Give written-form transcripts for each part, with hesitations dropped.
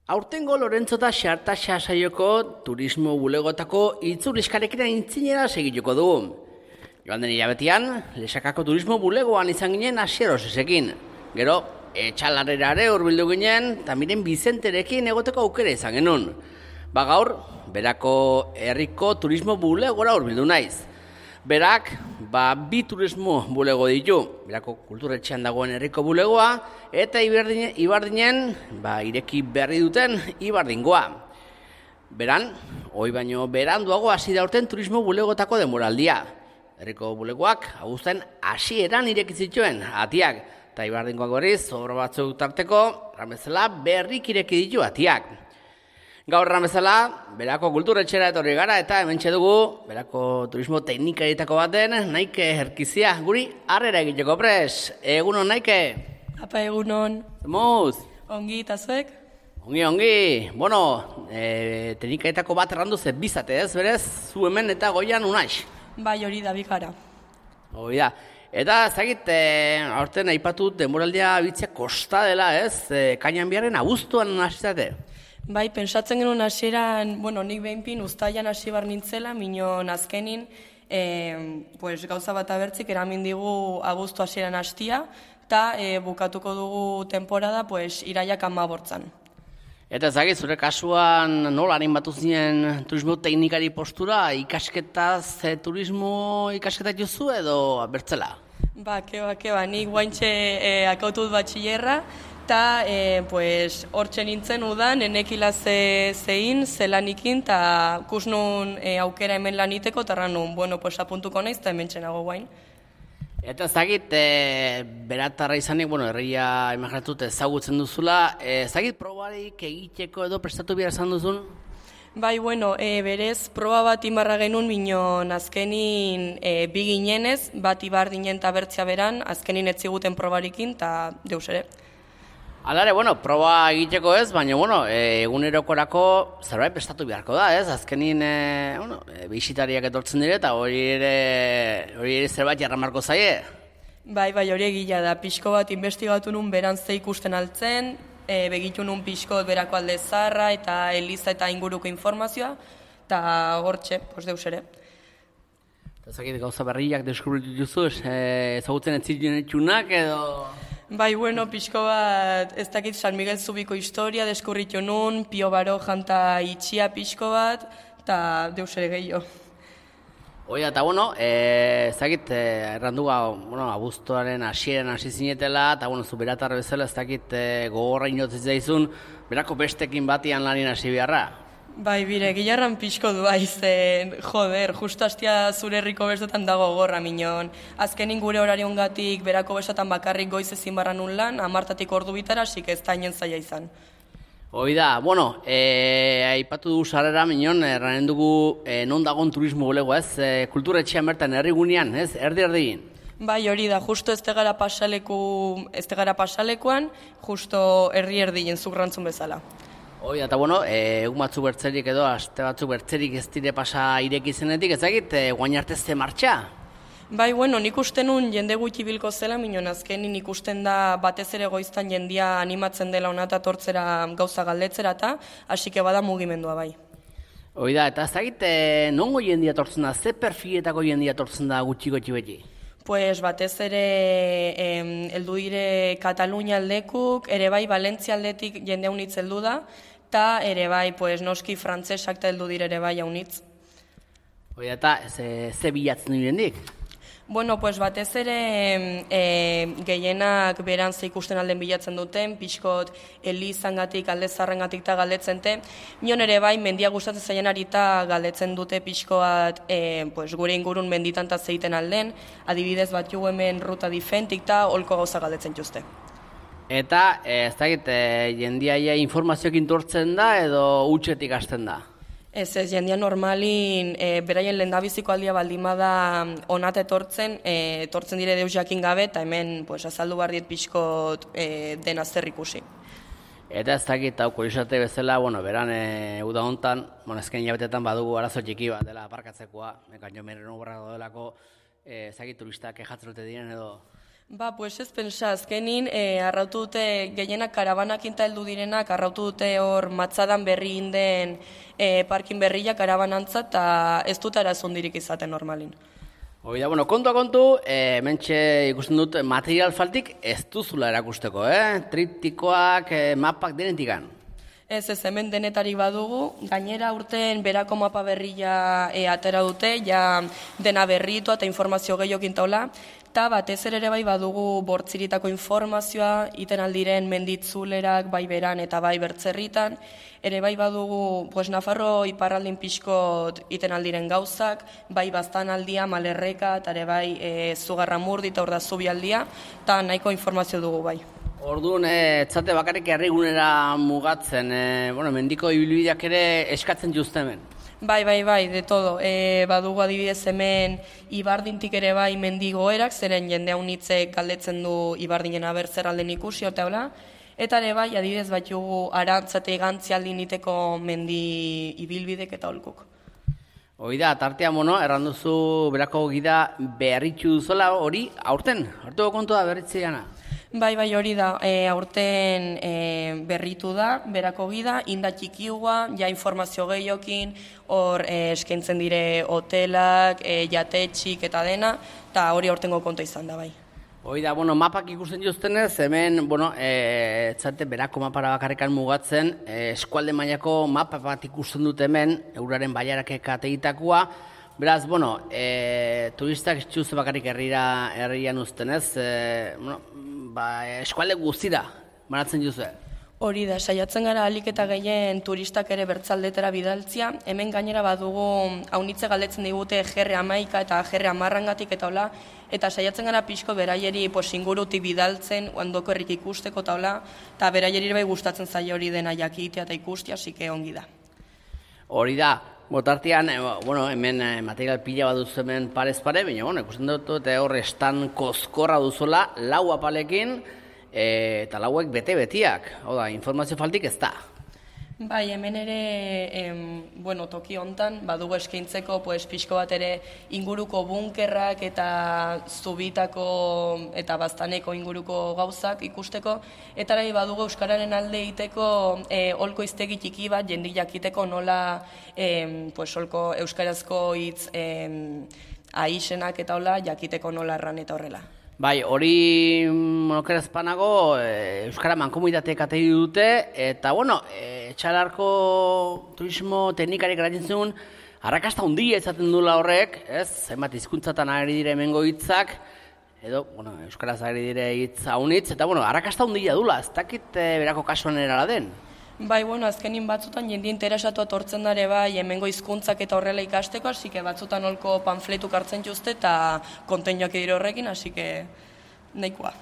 Aurtengo Lorentzo eta Xartaxa saioko turismo bulegotako itzuliskarekin aintzinera segituko dugu. Joan den hilabetean, Lesakako turismo bulegoan izan ginen Asierosesekin. Gero, Etxalarrerare hurbildu ginen, eta miren Bizenterekin egoteko aukera izan genuen. Gaur, berako herriko turismo bulegora hurbildu naiz. Berak, bi turismo bulego ditu. Berako kulturetxean dagoen herriko bulegoa, eta Ibardinen, ireki berri duten Ibardingoa. Beran, hoi baino beranduago hasi da urten turismo bulegotako denboraldia. Herriko bulegoak, abuzten hasieran ireki zituen atiak, eta Ibardingoak berriz, obra batzuk tarteko, ramezela berrik ireki ditu atiak. Gaur ramezela, berako kulturetxera etorri gara eta hementxe dugu, berako turismo teknikarietako baten, Naike Herkizia, guri harrera egiteko pres. Egunon, Naike? Apa, egunon. Zemuz? Ongi, eta zuek? Ongi. Bueno, teknikarietako bat errandu ze bizate ez, berez, zu hemen eta goian unaix. Bai, hori da bikara. Hori da. Eta ezagit, aurten aipatut denboraldia bitzea kosta dela ez, kainan biharren abuztuan hasizate. Bai, pentsatzen genuen hasieran, nik behinpin uztailan hasi bar nintzela, minon azkenin, gauza bat abertzik eramin digu abuztu hasieran hastia, eta bukatuko dugu temporada iraiak 15. Eta ezagit, zure kasuan nola animatu zinen turismo teknikari postura, ikasketaz turismo ikasketa jozu edo bertzela? Keba, nik guaintxe akautut batxillerra, eta hortxe nintzen udan, enekila zein, zelanikin, eta kusnun aukera hemen laniteko, eta ranun, apuntuko naiz, eta hemen txenago guain. Eta ezagit, beratarra izanik, herria imaginatut ezagutzen duzula, ezagit probarik egiteko edo prestatu behar izan duzun? Bai, berez, proba bat imarra genuen minon azkenin bi ginenez, bat Ibardinen eta bertzea beran, azkenin etziguten probarikin, eta deus ere. Alare, proba egiteko ez, baina, egunerokorako zerbait prestatu beharko da, ez? Azkenin, bisitariak etortzen dire, eta hori ere zerbait jarramarko zaie. Bai, hori egila da. Pixko bat investigatu nun beran ze ikusten altzen, begitu nun pixko berako alde zarra, eta eliza eta inguruko informazioa, eta hortxe, deus ere. Eta zakit gauza berriak deskubritu duzu, ezagutzen ez ziren etxunak edo... Bai, pixko bat, ez dakit San Miguel Zubiko historia deskurritu nun, Pio Barojan eta itxia pixko bat, eta deus ere gehiago. Oida, eta ez dakit errandua, abuztuaren hasieran hasi zinetela, eta zu beratar bezala ez dakit gogorra inotzen zaizun, berako bestekin batian lanien hasi beharra. Bai, bire, gilarran pixko du zen, justu hastia zure herriko bestotan dago gorra minon. Azkenin gure horariongatik berako bestotan bakarrik goiz ezin barra nun lan, 10 ordu bitara, asik ez da inen zaila izan. Oida, aipatu du sarrera minon, erranen dugu non dagon turismo bulegoa ez, kulturetxean bertan herrigunean, ez, erdi-erdin. Bai, hori da, justo ez tegara pasalekuan, justo erdi-erdien zugrantzun bezala. Hoi, eta egun batzuk bertzerik edo, aste batzuk bertzerik ez dire pasa ireki zenetik, ezagit, guain arte ze martxa? Bai, nik uste nun jende gutxi bilko zela, minon azkenin ikusten da batez ere goiztan jendia animatzen dela onata tortzera gauza galdetzera eta, hasike bada mugimendua bai. Hoi da, eta ezagit, nongo jendia tortzen da, ze perfiletako jendia tortzen da gutxi-gutxi beti? Batez ere heldu dire Katalunia aldekuk, ere bai Valentzia aldetik jende haunitz heldu da, eta ere bai noski frantzesak eta heldu dire ere bai haunitz. Hoi eta ze bilatzen direndik? Batez ere gehienak beran ze ikusten alden bilatzen duten, pixkot elizangatik, alde zarrengatik eta galdetzen te. Mion ere bai, mendia gustatzen zaien arita galdetzen dute pixkoat gure ingurun menditan eta zeiten alden, adibidez bat jugu hemen ruta difentik eta holko gauza galdetzen juzte. Eta, ez dakit, jendiaia informazioekin tortzen da edo utxetik hasten da? Ez, jendia normalin, beraien lehendabiziko aldia baldimada onat etortzen dire deus jakin gabe, eta hemen azaldu barriet pixkot dena zer ikusi. Eta ez dakit, hau kurisate bezala, beran uda hontan, ezken hilabetetan badugu arazo txiki bat dela aparkatzekoa, mekaino meren obra dodelako, ez dakit turistak kejatzen dute diren edo... Pues ez pensa, azkenin, arrautu dute gehienak karabanakinta heldu direnak, arrautu dute hor matzadan berri inden parkin berria karabanantza, eta ez dut arazondirik izaten normalin. Hoi da, kontua kontu, mentxe ikusten dut material faltik ez duzula erakusteko, triptikoak, mapak denetikan. Ez hemen denetarik badugu, gainera urten berako mapa berria atera dute, ja dena berritua eta informazio gehiokin taula, eta batez ere bai badugu bortziritako informazioa, iten aldiren menditzulerak bai beran eta bai bertzerritan, ere bai badugu Nafarro iparraldin pixkot iten aldiren gauzak, bai bastan aldia, malerreka, eta ere bai zugarramurdi eta orda zubi aldia, eta nahiko informazio dugu bai. Orduan, etzate bakarrik herrigunera mugatzen, mendiko ibilbideak ere eskatzen juzte hemen. Bai, de todo. Badugu adibidez hemen Ibardintik ere bai mendigoerak, zeren jende haunitzek galdetzen du Ibardinen abertzer alden ikusi, eta ere bai adibidez batugu arantzate gantzi aldin iteko mendi ibilbidek eta holkuk. Hoi da, tartea erranduzu berako gida berritxu duzola hori aurten, hartu kontu da berritzeiana. Bai, hori da, aurten berritu da, berako gida, inda txikiua, ja informazio gehiokin, hor eskaintzen dire hotelak, jatetxik eta dena, eta hori aurtengo konta izan da, bai. Hoi da, mapak ikusten joztenez, hemen, etzate berako mapara bakarrikan mugatzen, eskualde mailako mapa bat ikusten dut hemen, euraren baiarakek ategitakoa. Beraz, turistak txuz bakarrik herrian uztenez, eskualde guztira, banatzen juzue. Hori da, saiatzen gara alik eta gehien turistak ere bertzaldetera bidaltzia. Hemen gainera badugu haunitze galdetzen digute GR11 eta GR10 eta hola, eta saiatzen gara pixko beraieri ingurutik bidaltzen, ondoko herrik ikusteko eta hola, eta beraieri bai gustatzen zaio hori dena jakitea eta ikustia, asike ongi da. Hori da, botartean, hemen material pila bat duzu hemen parez pare, baina, ikusten dut, hor estan kozkorra duzuela, lau apalekin, eta lauek bete-betiak. Hau da, informazio faltik ez da. Bai, hemen ere, toki hontan, badugu eskaintzeko, pixko bat ere inguruko bunkerrak eta zubitako eta baztaneko inguruko gauzak ikusteko, eta ere badugu Euskararen alde egiteko holko iztegi txiki bat, jendik jakiteko nola holko euskarazko hitz aixenak eta hola, jakiteko nola erran eta horrela. Bai, hori monokeraz panago Euskara mankomunitateek ategi dute, eta etxalarko turismo teknikarik eratzen zuen, arrakasta handia izaten duela horrek, zenbat hizkuntzatan ari dire hemengo hitzak, edo, Euskaraz ari dire hitz haunitz, eta arrakasta handia dula, ez dakit berako kasuan erala den. Bai, azkenin batzutan jende interesatu atortzen dare bai hemengo hizkuntzak eta horrela ikasteko, hasike batzutan holko panfletuk hartzen juzte eta konteinoak edire horrekin, hasike nahikoa.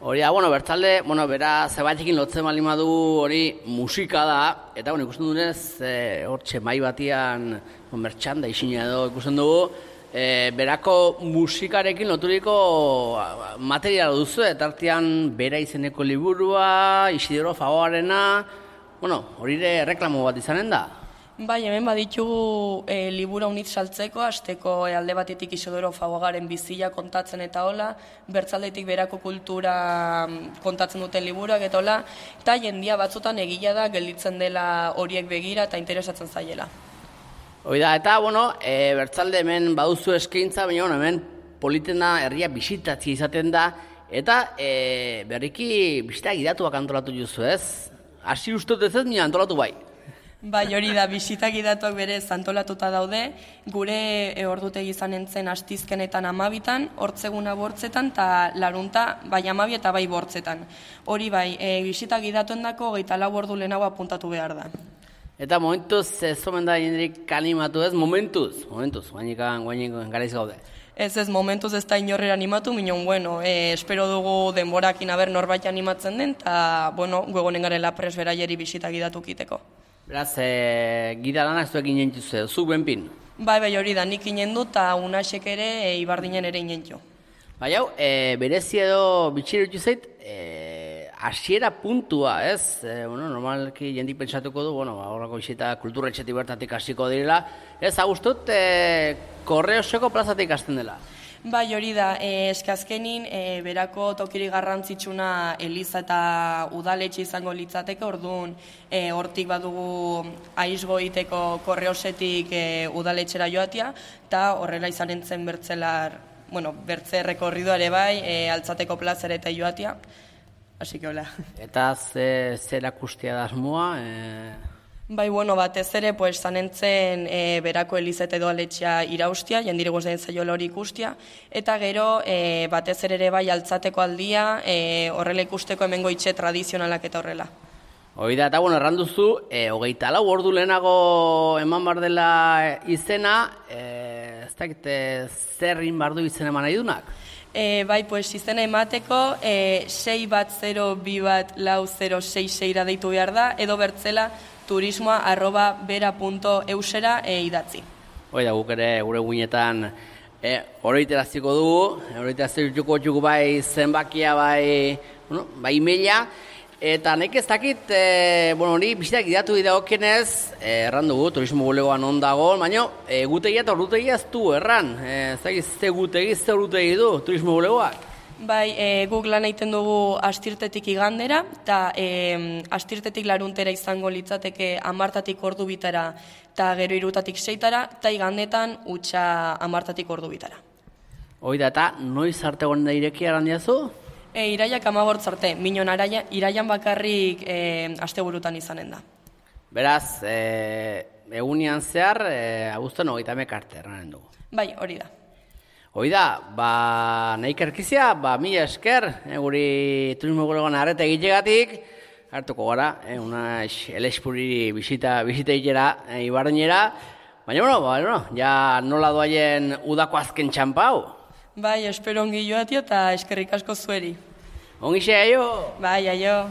Hori da, bertzalde, bera zebaitekin lotzen bali madu hori musika da, eta ikusten dunez, hortxe mai batian mertxanda isina edo ikusten dugu, berako musikarekin loturiko materiala duzu, eta artean bera izeneko liburua, Isidoro Fagoarena, hori ere reklamo bat izanen da? Bai, hemen baditugu libura unitz saltzeko, hasteko alde batetik Isidoro Fagogaren bizia kontatzen eta hola, bertzaldetik berako kultura kontatzen duten liburuak eta hola, eta jendia batzutan egila da gelditzen dela horiek begira eta interesatzen zaiela. Hoi da, eta, bertzalde hemen baduzu eskaintza, baina hemen politena herria bisitatzea izaten da, eta berriki bisita gidatuak antolatu juzu ez? Hasi ustut ez nire antolatu bai. Bai, hori da, bisita gidatuak berez antolatuta daude, gure ordutegi izanen zen astizkenetan 12, hortzeguna bortzetan, eta larunta bai 12 eta bai bortzetan. Hori bai, bisita gidatuen dako 24 ordu lehenago apuntatu behar da. Eta momentuz, ez omen da jenderik animatu ez, momentuz, guainik garaiz gaude. Ez momentuz ez da inorrera animatu, minon, espero dugu denborakin aber norbait animatzen den, eta, guegonen garela pres beraieri bisita gidatu kiteko. Beraz, gida lanak zuek inentzu zu benpin? Bai, hori da, nik inendu eta unasek ere Ibardinen ere inentzu. Bai, hau, berezi edo bitxirutu zait, hasiera puntua, ez? Normalki jendik pentsatuko du, horrako bisita kulturretxetik bertatik hasiko direla. Ez, agustut, Korreoseko plazatik hasten dela. Bai, hori da, eskazkenin berako tokiri garrantzitsuna Eliza eta udaletxe izango litzateke, orduan hortik badugu aizgoiteko korreosetik udaletxera joatia, eta horrela izanen zen bertze rekorrido ere bai, altzateko plazera eta joatia, hasi que hola. Eta zer akustia da asmoa? Bai, batez ere, zanentzen berako Elizete edo aletxea iraustia, jendire guztien zaiola hori ikustia, eta gero, batez ere bai altzateko aldia, horrela ikusteko hemengo itxe tradizionalak eta horrela. Hoi da, eta erranduzu, 24 ordu lehenago eman bar dela izena, ez dakit zerrin bardu izena eman nahi dunak? Bai, izena emateko 610244066 deitu behar da, edo bertzela turismoa@bera.eusera idatzi. Hoi da, guk ere gure guinetan horreiteraziko dugu, horreiteraziko txuku bai zenbakia bai emaila, eta nek ez dakit, hori bizitak idatu didagokionez, erran dugu, turismo bulegoan ondago, baina gutegia eta ordutegia ez du, erran, ez dakit ze gutegi, ze ordutegia du turismo bulegoak? Bai, guk lan egiten dugu astirtetik igandera, eta astirtetik laruntera izango litzateke 10 ordu bitara, eta gero 3 6tara, eta igandetan utxa 10 ordu bitara. Hoi da, eta noiz arte gonen da irekia erandiazu? Iraiak 15 arte, minon iraian bakarrik asteburutan izanen da. Beraz, egunian zehar, abuztuan 30 arte erranen dugu. Bai, hori da. Hoi da, nahi kerkizia, mila esker, guri turismo bulegoan arreta egitegatik, hartuko gara, una elespuriri bisita egitera, ibarrenera, baina, ja nola doaien udako azken txampau. Bai, espero ongi joatia eta eskerrik asko zueri. Ongi xe, aio! Bai, aio!